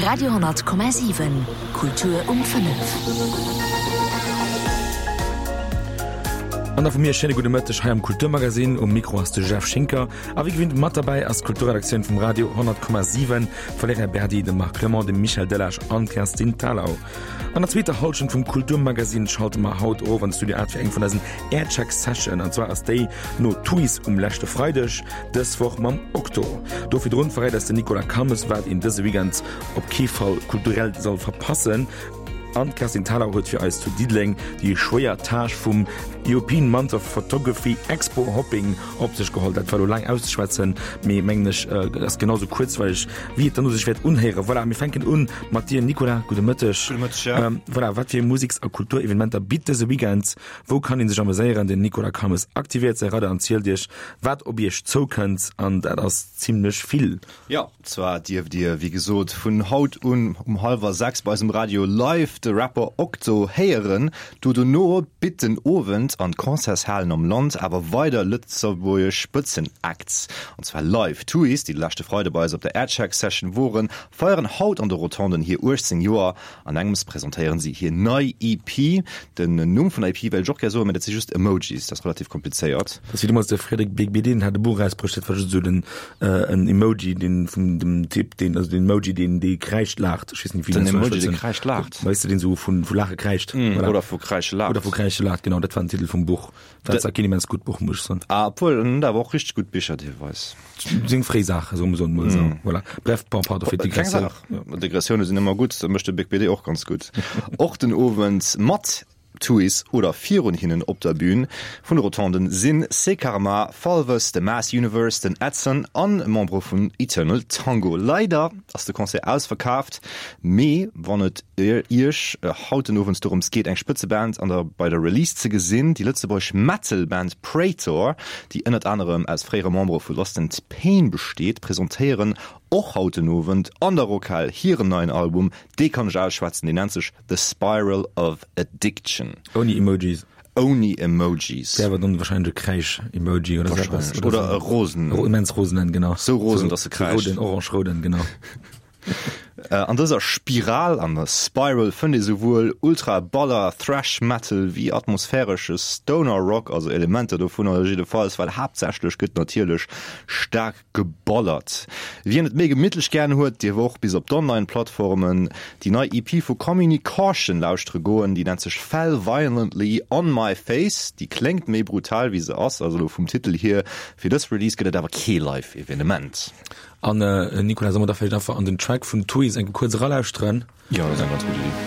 Radio 10,7 Kultur um 5. An da vu mir e schéine gudde Mëtteg hei am Kulturmagazin. Um Mikro ass de Jeff Schinker a wéi gewinnt mat derbäi ass d'Kulturredaktioun vum Radio 10,7, d'Valerija Berdi, de Marc Clement, de Michel Delage an d'Kerstin Thalau. An der zweeter Hallschent vum Kulturmagazin schalte mer haut erof an de Studio 8 fir eng vun eisen Aircheck Session an zwar ass déi no Tuys um leschte Freideg dës Woch mam Okto. Do virdrun verréit eis den Nicolas Calmes wat een dëse Weekend op kee Fall kulturell soll verpassen an d'Kerstin Thalau huet fir eis zu Diddeleng déi schwéier Tâche vum European Month of Photography Expo Hopping op sech geholl. Dat war lo laang auszeschwätzen, mee mengen ech ass genau sou kuerzweileg wéi et dann u sech wäert unhéieren. Voilà, mir fänken un mat dir Nicolas. Gudde Mëtteg. Gudde Mëtteg, ja. Voilà, wat fir Musiks a Kulturevenementer bitt dëse Weekend? Wou kann ee sech ameséieren? Den Nicolas Calmes aktivéiert säi Radar an zielt iech, wat op iech zoukënnt. An dat ass zimlech vill. Jo, zwar dierft dir, wéi gesot, vun haut un um hallwer 6 bei eisem Radio live de Rapper Okto héieren. Do dono bitt den Owend an d'Concertshalen am Land awer weider lëtzebuergesch Spëtzenacts, an zwar live. D'Thuis, déi de leschte Freide bei eis op der Aircheck Session woren, feieren haut an de Rotonden hir 18 Joer. An engems presentéieren si hir nei EP. Den Numm vun der EP wéilt ech och gär soen, mä dat si just Emojis, dat ass relativ komplizéiert. Dat ass wéi deemools de Frédéric Beigbeder, deen hat e Buch erausbruecht, dat war just esou den en Emoji, deen vun dem Typ, deen, also den Emoji, deen dee kräischt laacht. Ech weess net, wéi Den Emoji, dee kräischt laacht. Weess de, deen esou vu vu Laache kräischt. Voilà. Oder vu Kräische laacht. Oder vu Kräische laacht, genau, dat war den Titel vum Buch. War zwar keen immens gutt Buch, muss ech soen. Ah, obwuel, en huet awer och richteg gutt Bicher deelweis. Seng fréi Saache, soe mer emol esou. Voilà. Bref, bon, pardon fir Keng d'Digressioun. Saach. Digressioune sinn ëmmer gutt, dat mécht de Big BD och ganz gutt. Och den Owend mat Tuys oder virun hinnen op der Bün vun de Rotonden sinn C'est Karma, Falves, The Mass Universe, den Edson an Membere vun Eternal Tango. Leider ass de Concert ausverkaaft, mee wann et Iech haut den Owend dorëms geet eng Spëtzeband an der bei der Release ze gesinn, déi lëtzebuergesch Metal-Band Praetor, déi ënnert anerem aus fréiere Membere vu Lost and Pain besteet, presentéieren och haut den Owend an der Rockhal hiren neien Album. Dee kann ech ausschwätzen, deen nennt sech The Spiral of Addiction. Ouni Emojis. Ouni Emojis. Wär awer dann wahrscheinlech e Kräisch-Emoji oder sou eppes. Wahrscheinlech. Oder e rosen. Immens rosenen, genau. Sou rosen, dass e kräischt. Roden, orange-rouden, genau. An dëser Spiral, an der Spiral, fënnt ee souwuel Ultra-Baller Thrash Metal wéi atmosphäresche Stoner Rock, also Elementer dovunner jiddefalls, well haaptsächlech gëtt natierlech staark geballert. Wien et méi gemittlech gären huet, dierf och bis op d'Online-Plattformen déi nei EP vu Communicaution lauschtere goen. Déi nennt sech Fell Violently On My Face. Déi kléngt méi brutal wéi se ass, also elo vum Titel hier. Fir dës Release gëtt et awer kee Live-Evenement. An Nicolas, solle mer da vläicht einfach an den Track vun Tuys eng kuerz eralauschteren? Jo, dat ass eng ganz gutt Iddi.